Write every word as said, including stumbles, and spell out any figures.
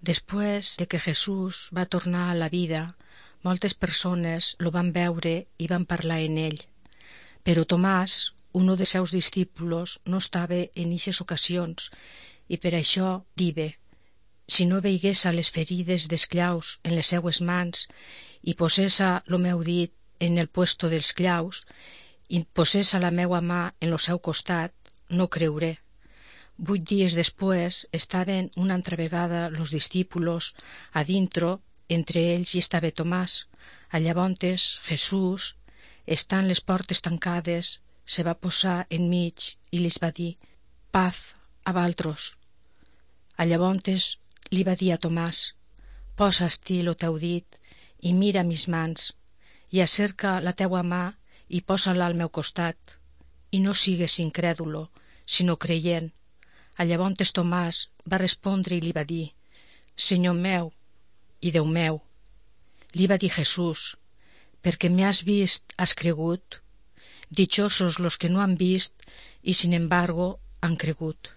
Després de que Jesús va tornar a la vida, moltes persones lo van veure i van parlar en ell. Però Tomàs, un dels seus discípulos, no estava en ixes ocasions, i per això dive: si no veiguessa les ferides dels claus en les seues mans, i posessa lo meu dit en el puesto dels claus, i posessa la meua mà en lo seu costat, no creuré. Vuit dies després estaven una altra vegada los discípulos a dintro, entre ells hi estava Tomàs. A llavors Jesús, estant les portes tancades, se va posar enmig i les va dir: paz a valtros. A llavors li va dir a Tomàs: posa-t'hi lo teu dit i mira mis mans, i acerca la teua mà i posa-la al meu costat, i no sigues incrèdulo, sinó creient. A llavors Tomàs va respondre i li va dir: Senyor meu i Déu meu. Li va dir Jesús: perquè m'has vist has cregut? Dichosos los que no han vist i sin embargo han cregut.